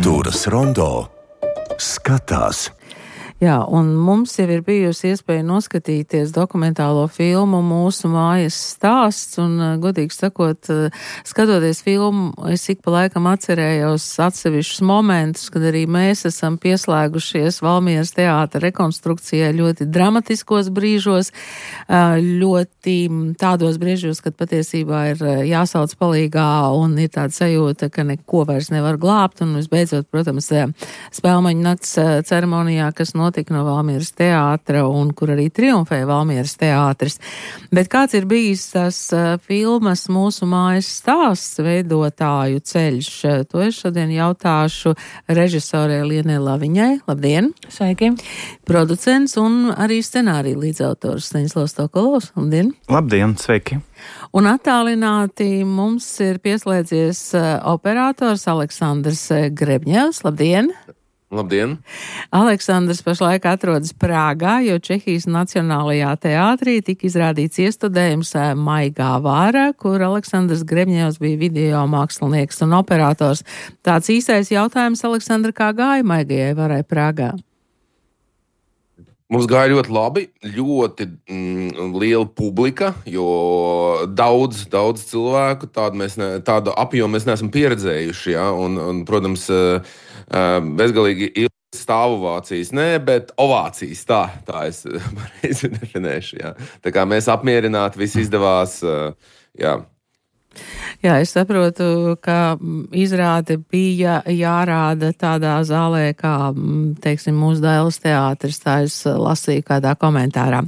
Kultūras rondo skatās. Jā, un mums jau ir bijusi iespēja noskatīties dokumentālo filmu Mūsu mājas stāsts, un, godīgi sakot, skatoties filmu, es ik pa laikam atcerējos atsevišķus momentus, kad arī mēs esam pieslēgušies Valmieras teātra rekonstrukcijai ļoti dramatiskos brīžos, ļoti tādos brīžos, kad patiesībā ir jāsauc palīgā un ir tāda sajūta, ka neko vairs nevar glābt, un visbeidzot, protams, Spēlmaņu nakts ceremonijā, kas notika no Valmieras teātra un kur arī triumfēja Valmieras teātris. Bet kāds ir bijis tas filmas Mūsu mājas stāsts veidotāju ceļš? To es šodien jautāšu režisorei Lienai Laviņai. Labdien! Sveiki! Producents un arī scenārija līdzautors Staņislavs Tokolovs. Labdien! Labdien! Sveiki! Un attālināti mums ir pieslēdzies operators Aleksandrs Grebņevs. Labdien! Labdien! Aleksandrs pašlaik atrodas Prāgā, jo Čehijas Nacionālajā teātrī tika izrādīts iestudējums Maigā vāra, kur Aleksandrs Grebņevs bija video mākslinieks un operators. Tāds īsais jautājums, Aleksandra, kā gāja Maigajai vārai Prāgā? Mums gāja ļoti labi, ļoti liela publika, jo daudz cilvēku, tādu apjomu mēs neesam pieredzējuši, ja? un, protams, bezgalīgi ilgas stāvovācijas, bet ovācijas, tā es pareizi definēšu, ja? Tā kā mēs apmierināti, viss izdevās, jā. Jā, es saprotu, ka izrāde bija jārāda tādā zālē, kā, teiksim, mūsu Dailes teātris, tā es lasīju kādā komentārā.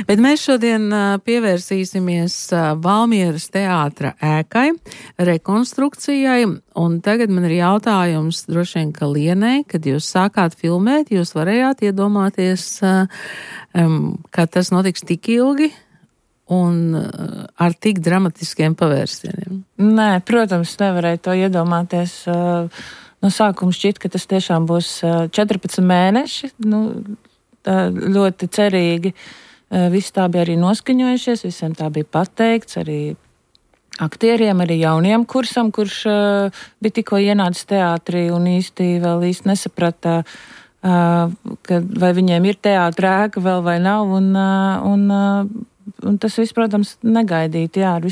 Bet mēs šodien pievērsīsimies Valmieras teātra ēkai, rekonstrukcijai, un tagad man ir jautājums droši vien, ka Lienai, kad jūs sākāt filmēt, jūs varējāt iedomāties, ka tas notiks tik ilgi, un ar tik dramatiskiem pavērsieniem? Nē, protams, nevarēju to iedomāties. No sākuma šķiet, ka tas tiešām būs 14 mēneši. Ļoti cerīgi. Visi tā bija arī noskaņojušies, visiem tā bija pateikts, arī aktieriem, arī jauniem kursam, kurš bija tikko ienācis teātrī un vēl īsti nesaprata, vai viņiem ir teātra ēka vēl vai nav, un tas viss, protams, negaidīti, jā, ar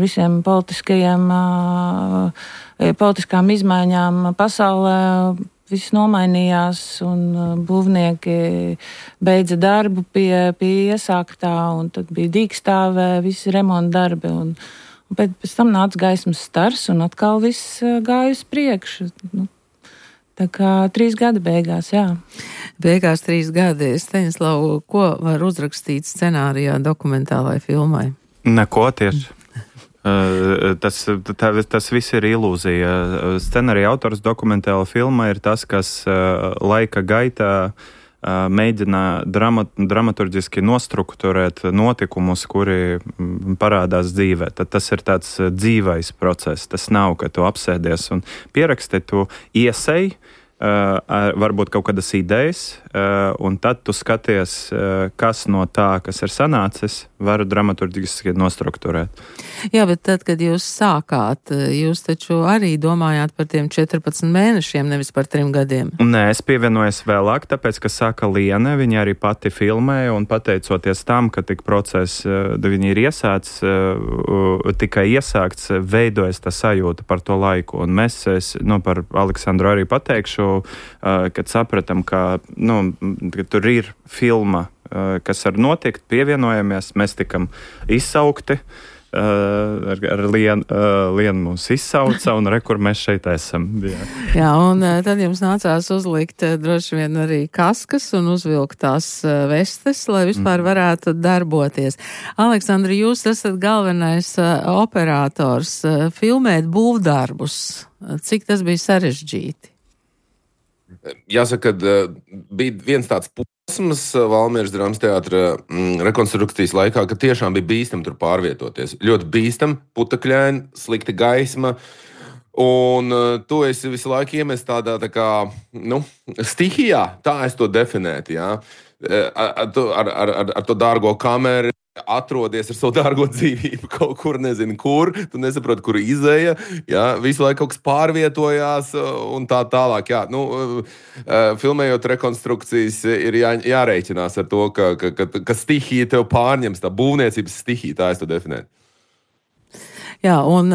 visiem politiskām izmaiņām pasaulē viss nomainījās, un būvnieki beidza darbu pie iesāktā, un tad bija dīkstāvē, visi remonta darbi, un pēc tam nāca gaismas stars, un atkal viss gāja uz priekšu. Tā kā 3 gadi beigās, jā. Beigās 3 gadi. Staņislav, ko var uzrakstīt scenārijā dokumentālai filmai? Neko tieši. Tas viss ir ilūzija. Scenārija autors dokumentāla filma ir tas, kas laika gaitā mēģina dramaturģiski nostrukturēt notikumus, kuri parādās dzīvē. Tad tas ir tāds dzīvais process. Tas nav, ka tu apsēdies un pieraksti, tu iesēji, varbūt kaut kādas idejas, un tad tu skaties, kas no tā, kas ir sanācis, var dramaturģiski nostrukturēt. Jā, bet tad, kad jūs sākāt, jūs taču arī domājāt par tiem 14 mēnešiem, nevis par 3 gadiem. Nē, es pievienojos vēlāk, tāpēc, ka sāka Liene, viņa arī pati filmēja, un pateicoties tam, ka tik process, viņi ir tikai iesākts, veidojas tā sajūta par to laiku. Un mēs, par Aleksandru arī pateikšu, kad sapratam, ka tur ir filma, kas var notikt, pievienojamies, mēs tikam izsaukti, ar Lienu mūs izsauca, un kur mēs šeit esam. Jā, un tad jums nācās uzlikt droši vien arī kaskas un uzvilkt tās vestes, lai vispār varētu darboties. Aleksandra, jūs esat galvenais operators, filmēt būvdarbus. Cik tas bija sarežģīti? Jāsaka, bija viens tāds posms Valmieras drāmas teātra rekonstrukcijas laikā, ka tiešām bija bīstam tur pārvietoties. Ļoti bīstam, putekļaini, slikta gaisma, un tu esi visu laiku iemest tādā tā kā, stihijā, tā es to definētu, jā. Ar to dārgo kameru, atrodies ar savu dārgo dzīvību kaut kur, nezinu, kur, tu nesaproti, kur izēja, jā, visu laiku kaut kas pārvietojās un tā tālāk, jā. Filmējot rekonstrukcijas ir jārēķinās ar to, ka stihija tev pārņems, tā būvniecības stihija, tā es to definēju. Jā, un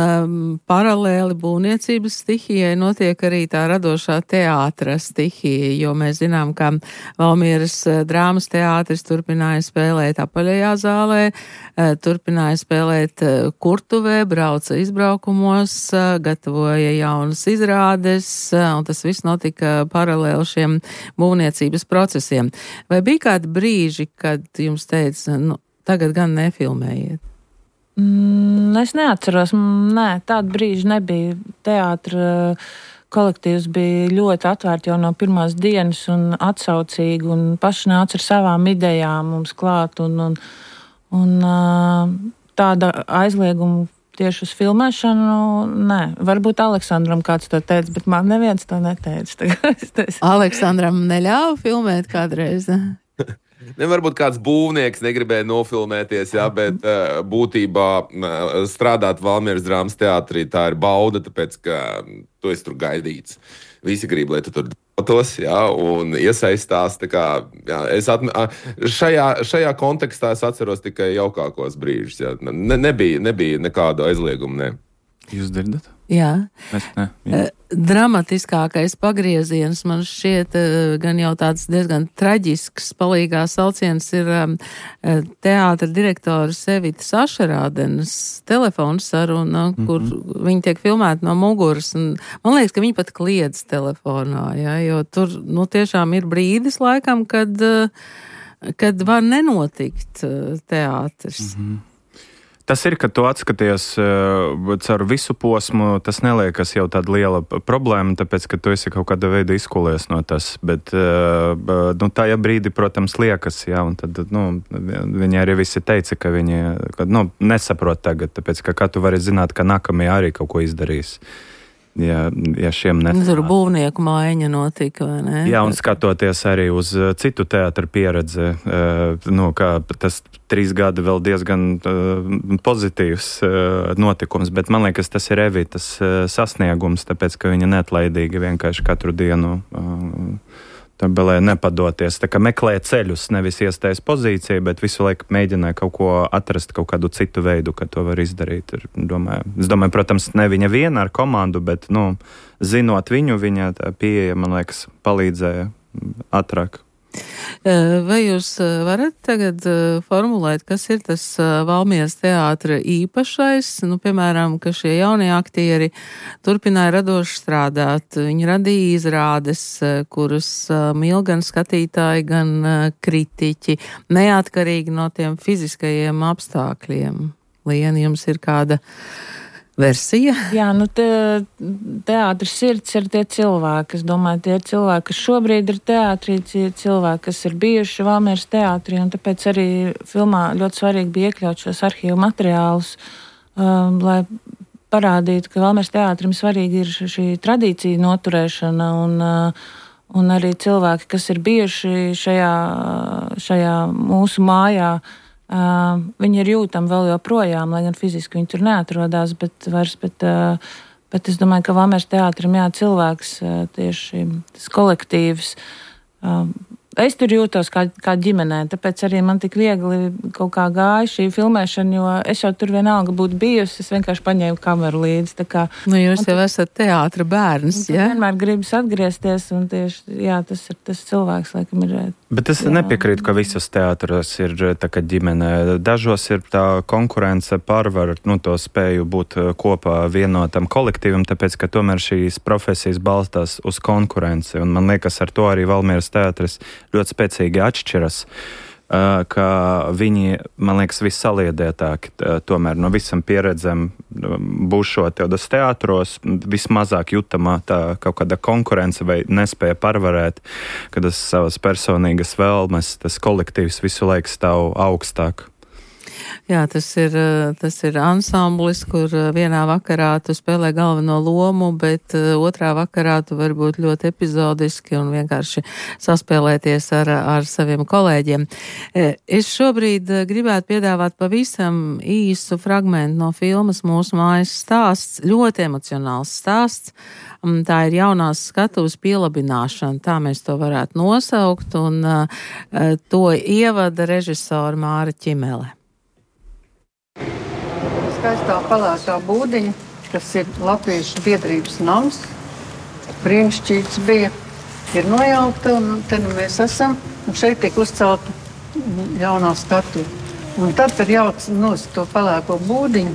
paralēli būvniecības stihijai notiek arī tā radošā teātra stihija, jo mēs zinām, ka Valmieras drāmas teātris turpināja spēlēt apaļajā zālē, turpināja spēlēt kurtuvē, brauca izbraukumos, gatavoja jaunas izrādes, un tas viss notika paralēli šiem būvniecības procesiem. Vai bija kādi brīži, kad jums teica, tagad gan nefilmējiet? Es neatceros, tāda brīža nebija. Teātra kolektīvs bija ļoti atvērti jau no pirmās dienas un atsaucīgi un paši nāca ar savām idejām mums klāt un tāda aizlieguma tieši uz filmēšanu, nē. Varbūt Aleksandram kāds to teica, bet man neviens to neteica. Aleksandram neļāva filmēt kādreiz? Varbūt kāds būvnieks negribēja nofilmēties, jā, bet būtībā strādāt Valmieras drāmas teātrī tā ir bauda, tāpēc, ka tu esi tur gaidīts. Visi grib, lai tu tur dotos, jā, un iesaistās. Tā kā, jā, šajā kontekstā es atceros tikai jaukākos brīžus. Jā. Nebija nekādu aizliegumu, ne. Jūs dzirdat? Jā. Mēs ne. Dramatiskākais pagrieziens man šķiet gan jau tāds diezgan traģisks palīgā sauciens ir teātra direktoras Evitas Ašerādenes telefonu saruna, kur viņi tiek filmēti no muguras. Un man liekas, ka viņi pat kliedz telefonā, ja, jo tur tiešām ir brīdis laikam, kad var nenotikt teātris. Tas ir, ka tu atskaties caur visu posmu, tas neliekas jau tāda liela problēma, tāpēc, ka tu esi kaut kāda veida izkulies no tas, bet tajā brīdī, protams, liekas, jā, un tad, viņi arī visi teica, ka viņi, nesaprot tagad, tāpēc, ka tu vari zināt, ka nākamie arī kaut ko izdarīs. Ja šiem nesanāk. Tur būvnieku mājiņa notika, vai ne? Jā, un skatoties arī uz citu teātra pieredzi, kā tas 3 gadi vēl diezgan pozitīvs notikums, bet man liekas, tas ir Evitas sasniegums, tāpēc, ka viņa neatlaidīgi vienkārši katru dienu tabelē nepadoties. Tā kā meklē ceļus, nevis iestājas pozīcija, bet visu laiku mēģināja kaut ko atrast, kaut kādu citu veidu, ka to var izdarīt. Es domāju, protams, ne viņa viena ar komandu, bet, zinot viņu, viņa tā pieeja, man liekas, palīdzēja ātrāk. Vai jūs varat tagad formulēt, kas ir tas Valmieras teātra īpašais? Piemēram, ka šie jaunie aktieri turpināja radoši strādāt. Viņi radīja izrādes, kuras mīl gan skatītāji, gan kritiķi, neatkarīgi no tiem fiziskajiem apstākļiem. Liena, jums ir kāda versija? Jā, teātris sirds ir tie cilvēki. Es domāju, tie ir cilvēki, kas šobrīd ir teātrī, tie cilvēki, kas ir bijuši Valmieras teātrī, un tāpēc arī filmā ļoti svarīgi bija iekļaut šos arhīvu materiālus, lai parādītu, ka Valmieras teātrim svarīgi ir šī tradīcija noturēšana un arī cilvēki, kas ir bijuši šajā mūsu mājā, viņi ir jūtami vēl joprojām, lai gan fiziski viņi tur neatrodās, bet es domāju, ka Valmieras teātrim cilvēks tieši tas kolektīvs. Es tur jūtos kā ģimenē, tāpēc arī man tik viegli kaut kā gāja šī filmēšana, jo es jau tur vienalga būtu bijusi, es vienkārši paņēmu kameru līdzi. Jūs jau esat teātra bērns, ja? Vienmēr gribas atgriezties, un tieši, tas ir tas cilvēks, laikam ir. Bet es nepiekrītu, ka visas teātros ir tā kā ģimene. Dažos ir tā konkurence pārvar, to spēju būt kopā vienotam kolektīvam, tāpēc, ka tomēr šīs profesijas balstās uz konkurenci, un man liekas, ar to arī Valmieras teātris ļoti spēcīgi atšķiras, ka viņi, man liekas, vissaliedētāki tomēr no visam pieredzēm būšot tādos teātros, vismazāk jutamā tā kaut kāda konkurence vai nespēja pārvarēt, kad tas savas personīgas vēlmes, tas kolektīvs visu laiku stāv augstāk. Jā, tas ir ansamblis, kur vienā vakarā tu spēlē galveno lomu, bet otrā vakarā tu vari būt ļoti epizodiski un vienkārši saspēlēties ar saviem kolēģiem. Es šobrīd gribētu piedāvāt pavisam īsu fragmentu no filmas Mūsu mājas stāsts, ļoti emocionāls stāsts. Tā ir jaunās skatuves pielabināšana, tā mēs to varētu nosaukt, un to ievada režisora Māra Ķimele. Skaistā palātā būdiņa, kas ir Latviešu biedrības nams, brīnišķīgs bija, ir nojaukta, un te mēs esam, un šeit tiek uzcelta jaunā skatuve. Un tad, kad jauc nost to palāko būdiņu,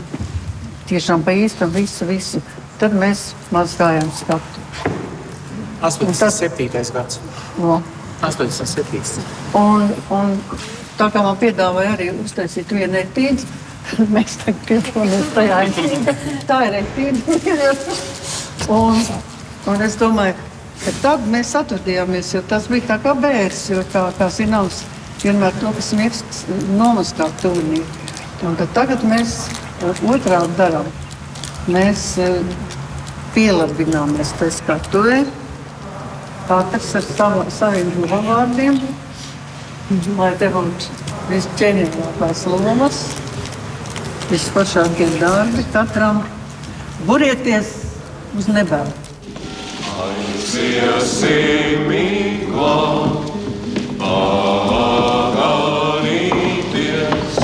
tiešām pa īstam visu, tad mēs mazgājām skatuvi. 87. gads. No. 87. Un tā kā man piedāvāja arī uztaisīt vienu etīdi, mēs tagad piedalāmies tajā etīdi. Tā ir etīdi. Un es domāju, ka tad mēs atradījāmies, jo tas bija tā kā bērs, jo kā zināms, vienmēr to, kas mirst, nomaskāt tuvnī. Un tad tagad mēs otrādi darām. Mēs pielabināmies tai skatuvē, katrs ar saviem vārdiem, lai te būtu viscienīgākās lomas, vispašākie darbi katram. Burieties uz nebēlu. Aiziesim miglā, paganīties,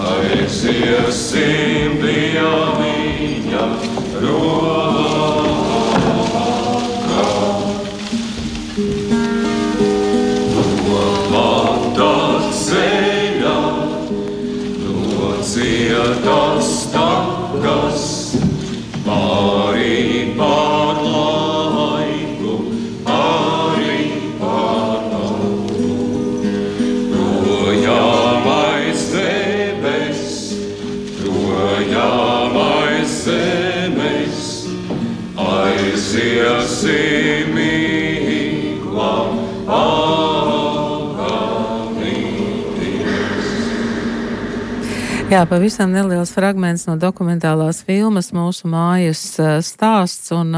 aiziesim pie viņa rokā. Domātā ceļā, no cietas takas, pārī pār laiku, pārī pār naudu. Projām aiz debes, projām aiz zemes, aiziesim miglā, Jā, pavisam neliels fragments no dokumentālās filmas Mūsu mājas stāsts, un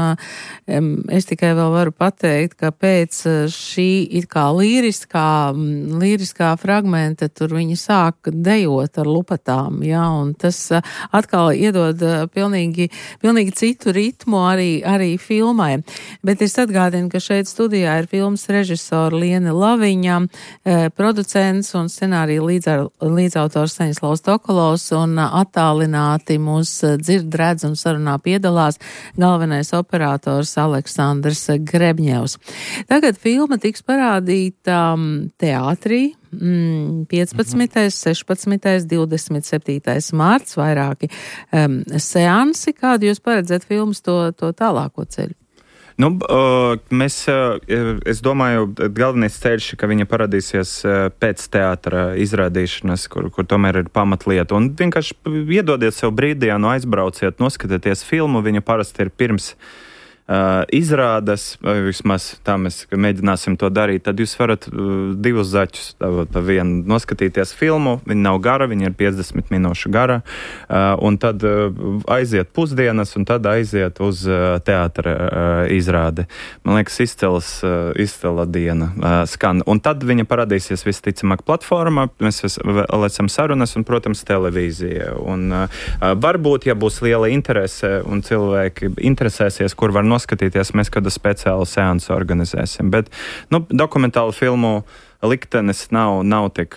es tikai vēl varu pateikt, ka pēc šī it kā līriskā fragmenta tur viņi sāk dejot ar lupatām, jā, un tas atkal iedod pilnīgi citu ritmu arī filmai. Bet es atgādinu, ka šeit studijā ir filmas režisora Liene Laviņa, producents un scenārija līdzautors Staņislavs Tokolovs, un attālināti mūs dzird, redz un sarunā piedalās galvenais operators Aleksandrs Grebņevs. Tagad filma tiks parādīta teātrī 15., 16., 27. mārts, vairāki seansi. Kādu jūs paredzat filmas to tālāko ceļu? Nu, es domāju, galvenais ceļš, ka viņa parādīsies pēc teātra izrādīšanas, kur tomēr ir pamatlieta. Un vienkārši iedodiet sev brīdienu, aizbrauciet, noskatieties filmu. Viņa parasti ir pirms izrādes, vismaz tā mēs mēģināsim to darīt, tad jūs varat divus zaķus pa vienu noskatīties filmu. Viņa nav gara, viņa ir 50 minūšu gara, un tad aiziet pusdienas, un tad aiziet uz teātra izrādi. Man liekas, izcila diena skan. Un tad viņa parādīsies visticamāk platformā, mēs lecam sarunas un, protams, televīzija. Un varbūt, ja būs liela interese un cilvēki interesēsies, kur var noskatīties, mēs kādu speciālu seansu organizēsim. Bet, dokumentālu filmu liktenis nav tik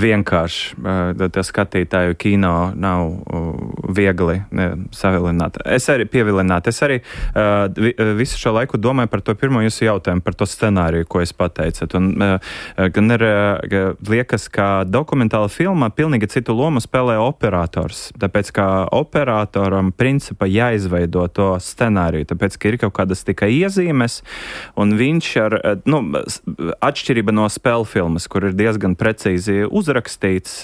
vienkārši. Tā skatītāju kino nav viegli savilināt. Es arī pievilināt. Es arī visu šo laiku domāju par to pirmo jūsu jautājumu, par to scenāriju, ko jūs pateicat. Un gan ir liekas, ka dokumentāla filmā pilnīgi citu lomu spēlē operators. Tāpēc, ka operatoram principā jāizveido to scenāriju. Tāpēc, ka ir kaut kādas tikai iezīmes, un viņš atšķirība no spēļu filmas, kur ir diezgan precīzi uzrakstīts.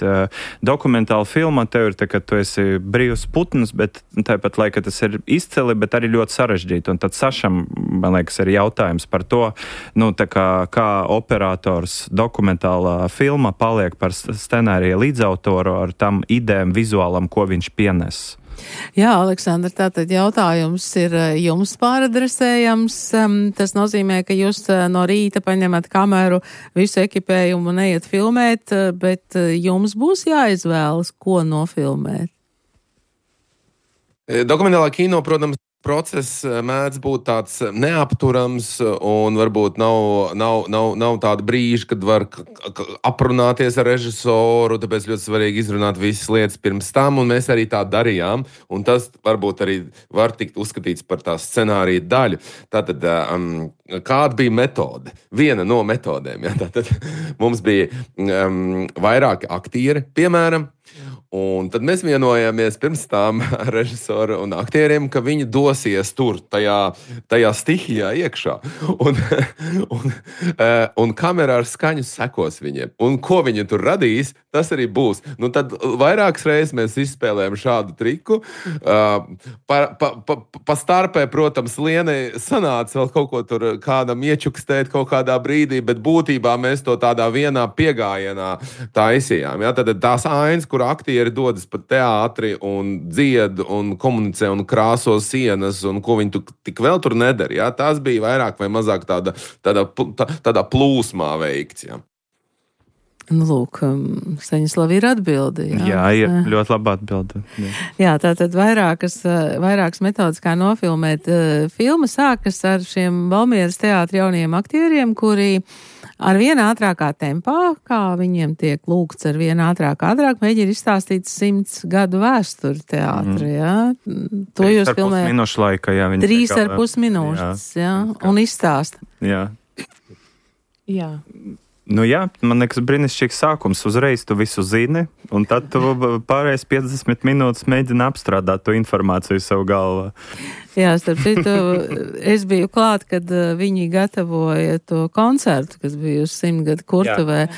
Dokumentāla filma tev ir tā, ka tu esi brīvs putns, bet tāpat laikā tas ir izcili, bet arī ļoti sarežģīti. Un tad Sašam, man liekas, ir jautājums par to, tā kā operators dokumentālā filma paliek par scenārija līdzautoru ar tam idejām vizuālam, ko viņš pienes. Jā, Aleksandra, tātad jautājums ir jums pāradresējams. Tas nozīmē, ka jūs no rīta paņemat kameru, visu ekipējumu un neiet filmēt, bet jums būs jāizvēlas, ko nofilmēt. Dokumentālā kino, protams, process mēdz būt tāds neapturams un varbūt nav tāda brīža, kad var aprunāties ar režisoru, tāpēc ļoti svarīgi izrunāt visas lietas pirms tam, un mēs arī tā darījām, un tas varbūt arī var tikt uzskatīts par tā scenārija daļu. Tātad, kāda bija metode? Viena no metodēm, ja? Tātad mums bija vairāki aktieri, piemēram, un tad mēs vienojāmies pirms tam ar režisoru un aktieriem, ka viņi dosies tur, tajā stihijā iekšā. Un kamerā ar skaņu sekos viņiem. Un ko viņi tur radīs, tas arī būs. Tad vairākas reizes mēs izspēlējam šādu triku. Pa starpē, protams, Lienai sanāca vēl kaut ko tur kādam iečukstēt kaut kādā brīdī, bet būtībā mēs to tādā vienā piegājienā taisījām. Ja? Tad tās ainas, kur aktieri dodas pa teātri un dzied un komunicē un krāso sienas un ko viņi tik vēl tur nedara. Ja? Tās bija vairāk vai mazāk tādā plūsmā veikts. Ja? Lūk, Staņislava ir atbilde. Jā, ir ļoti laba atbilde. Jā, tātad vairākas metodas, kā nofilmēt. Filma sākas ar šiem Valmieras teātra jauniem aktieriem, kuri ar vien ātrākā tempā, kā viņiem tiek lūgts ar vien ātrāk, mēģina izstāstīt 100 gadu vēsturi teātra, jā. To jūs filmējat 3,5 minūtes, jā, un izstāsta. Jā. Jā. Jā, man liekas, brīnišķīgs sākums. Uzreiz tu visu zini, un tad tu pārējais 50 minūtes mēģini apstrādāt to informāciju savu galvā. Jā, starp citu, es biju klāt, kad viņi gatavoja to koncertu, kas bija uz 100 gadu kurtuvē.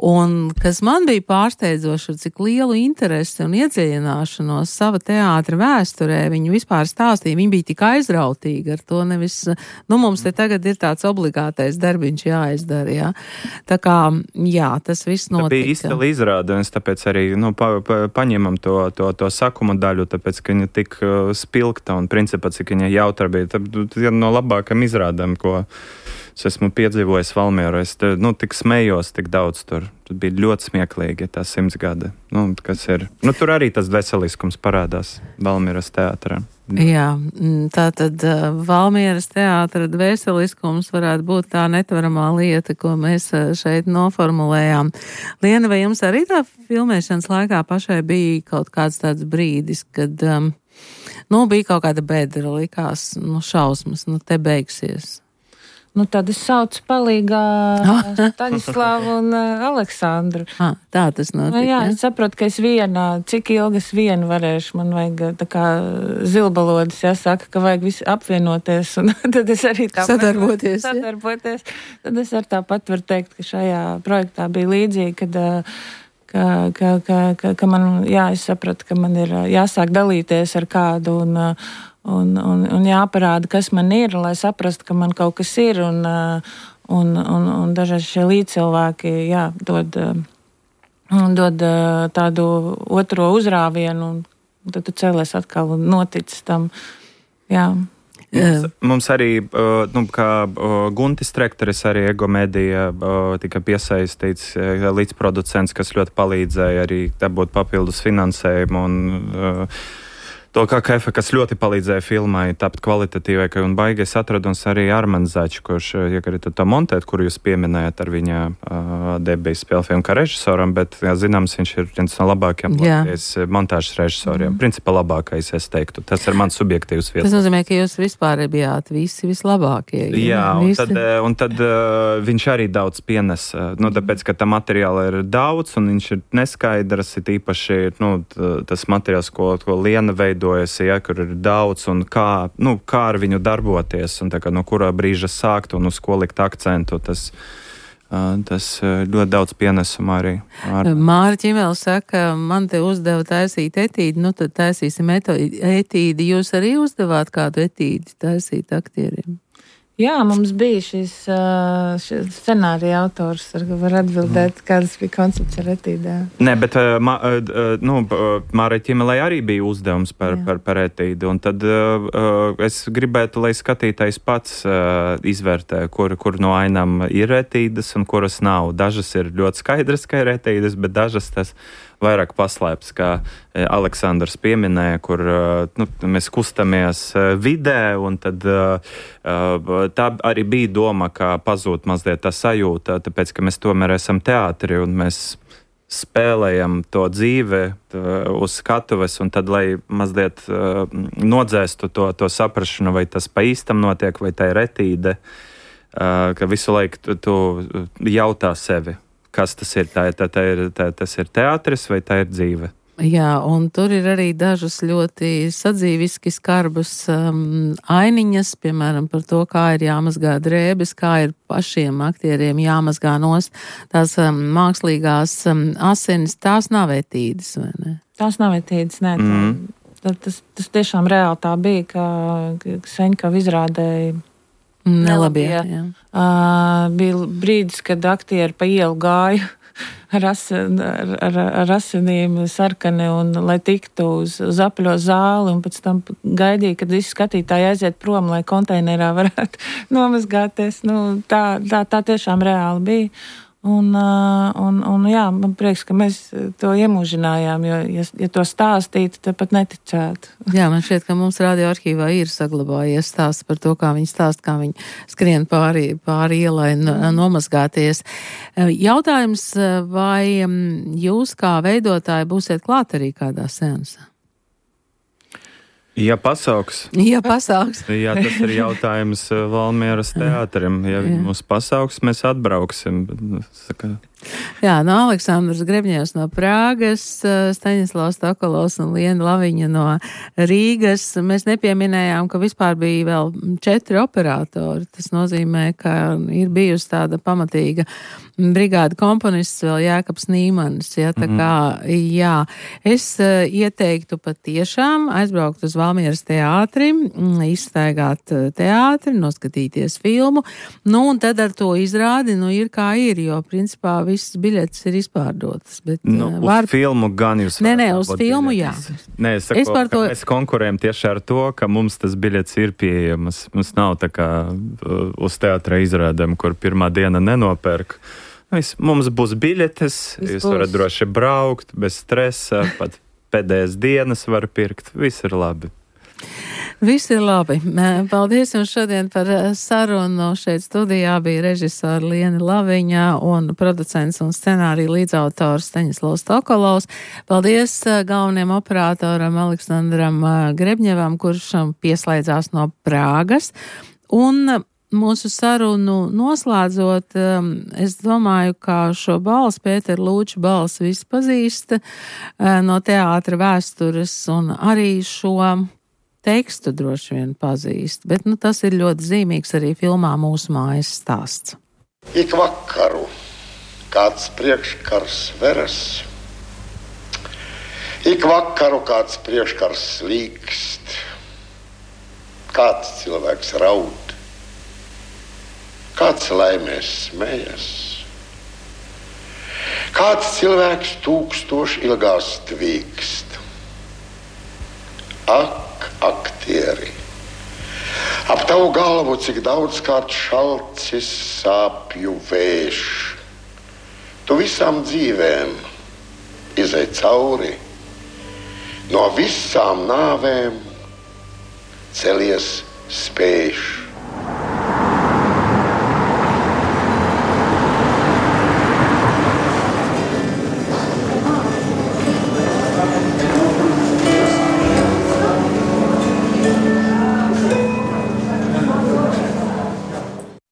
Un kas man bija pārsteidzoši, cik lielu interesi un iedziļināšanos sava teātra vēsturē viņi vispār stāstīja. Viņi bija tik aizrautīgi ar to, nevis, mums te tagad ir tāds obligātais darbiņš jāizdara, jā. Tā kā, jā, tas viss notika. Tā bija izcili izrāde, un es tāpēc arī, paņemam to sakuma daļu, tāpēc, ka viņa tik spilgta un principā, cik viņa jautra bija. Tā no labākam izrādēm, ko es esmu piedzīvojis Valmierā. Es tik smējos tik daudz tur. Tur bija ļoti smieklīgi tā 100 gadi. Kas ir. Tur arī tas veseliskums parādās Valmieras teātrā. Jā, tātad Valmieras teātra veseliskums varētu būt tā netvaramā lieta, ko mēs šeit noformulējām. Liena, vai jums arī tā filmēšanas laikā pašai bija kaut kāds tāds brīdis, kad bija kaut kāda bedra, likās, šausmas, te beigsies? Tad es saucu palīgā Staņislavu un Aleksandru. Tā tas notika. Jā, es saprotu, ka es cik ilgi es vienu varēšu, man vajag tā kā zilbalodis, jāsaka, ka vajag visi apvienoties, un tad es arī sadarboties. Tad es ar tāpat varu teikt, ka šajā projektā bija līdzīgi, ka man, es sapratu, ka man ir jāsāk dalīties ar kādu un jāparāda, kas man ir, lai saprastu, ka man kaut kas ir, un dažreiz šie līdzcilvēki, dod tādu otro uzrāvienu, un tad tu cēlies atkal un noticis tam, jā. Mums arī, kā Guntis Trekteris, arī Ego Medija tika piesaistīts līdzproducents, kas ļoti palīdzēja arī dabūt papildus finansējumu un to kā Kefa, kas ļoti palīdzēja filmai tapt kvalitatīvai, un baigais atraduns arī Armands Zaķis, kurš, to montēt, kuru jūs pieminējat ar viņa debijas spēlfilmu kā režisoram, bet, zināms, viņš ir viens no labākajiem Latvijas montāžas režisoriem. Principā labākais, es teiktu. Tas ir mans subjektīvs viedoklis. Tas nozīmē, ka jūs vispār bijāt visi vislabākie. Jā, un tad viņš arī daudz pienes, tāpēc, ka tā materiāla ir daudz, un viņš ir neskaidrs, ir īpaši, tas materiāls, ko Liena veido, izveidojas, kur ir daudz un kā ar viņu darboties un tā kā no kurā brīža sākt un uz ko likt akcentu, tas ļoti daudz pienesuma arī. Māra Ķimēla saka, man te uzdeva taisīt etīdi, tad taisīsim etīdi. Jūs arī uzdevāt kādu etīdi taisīt aktieriem? Jā, mums bija šis scenārija autors, var atbildēt, kādas bija koncepts ar etīdēm. Nē, bet Mārai Ķimelei arī bija uzdevums par etīdi, un tad es gribētu, lai skatītājs pats izvērtē, kur no ainām ir etīdes un kuras nav. Dažas ir ļoti skaidras, ka ir etīdes, bet dažas tas vairāk paslēpts, kā Aleksandrs pieminēja, kur mēs kustamies vidē, un tad tā arī bija doma, ka pazūd mazliet tā sajūta, tāpēc, ka mēs tomēr esam teātri, un mēs spēlējam to dzīve uz skatuves, un tad, lai mazliet nodzēstu to saprašanu, vai tas pa īstam notiek, vai tā ir etīde, ka visu laiku tu jautā sevi. Kas tas ir? Tas ir teātris vai tā ir dzīve? Jā, un tur ir arī dažas ļoti sadzīviski skarbas ainiņas, piemēram, par to, kā ir jāmazgā drēbes, kā ir pašiem aktieriem jāmazgā nost tās mākslīgās asinis. Tās nav etīdes, vai ne? Tās nav etīdes, nē. Tas tiešām reāli tā bija, ka Seņkava izrādēja Nelabie, jā. Bija brīdis, kad aktieri pa ielu gāja ar asinīm sarkani, un lai tiktu uz apaļo zāli, un pēc tam gaidīja, kad visi skatītāji aiziet prom, lai konteinerā varētu nomazgāties. Tā tiešām reāli bija. Un jā, man prieks, ka mēs to iemūžinājām, jo, ja to stāstītu, tad pat neticētu. Jā, man šķiet, ka mums radio arhīvā ir saglabājies stāsts par to, kā viņi stāst, kā viņi skrien pāri ielai nomazgāties. Jautājums, vai jūs kā veidotāji būsiet klāt arī kādā seansā? Ja pasauks. Jā, pasauks. Jā, tas ir jautājums Valmieras teātrim. Ja mūs pasauks, mēs atbrauksim. Jā, Aleksandrs Grebņevs no Prāgas, Staņislavs Tokolovs un Liena Laviņa no Rīgas. Mēs nepieminējām, ka vispār bija vēl 4 operatori. Tas nozīmē, ka ir bijusi tāda pamatīga brigāda komponists vēl Jēkabs Nīmanis. Ja, tā kā, jā, es ieteiktu patiešām aizbraukt uz Valmieras teātri, izstaigāt teātri, noskatīties filmu, un tad ar to izrādi, ir kā ir, jo principā visas biļetes ir izpārdotas. Bet, uz filmu gan jūs varat. Nē, uz filmu jā. Nē, es saku, mēs konkurējam tieši ar to, ka mums tas biļetes ir pieejamas. Mums nav tā kā uz teātra izrādēm, kur pirmā diena nenopērk. Mums būs biļetes, jūs varat droši braukt, bez stresa, pat pēdējās dienas var pirkt. Viss ir labi. Viss ir labi. Paldies jums šodien par sarunu. Šeit studijā bija režisori Liena Laviņa un producents un scenārija līdzautors Staņislavs Tokolovs. Paldies galvenajam operatoram Aleksandram Grebņevam, kurš pieslēdzās no Prāgas. Un mūsu sarunu noslēdzot, es domāju, ka šo balsi, Pētera Lūča balsi, visi pazīst no teātra vēstures, un arī šo tekstu droši vien pazīst, bet tas ir ļoti zīmīgs arī filmā Mūsu mājas stāsts. Ik vakaru kāds priekškars veras, ik vakaru kāds priekškars slīkst, kāds cilvēks raud, kāds laimēs smējas, kāds cilvēks 1000 ilgās tvīkst. Ak, aktieri, ap tavu galvu cik daudzkārt šalcis sāpju vējš. Tu visām dzīvēm izej cauri, no visām nāvēm celies spēš.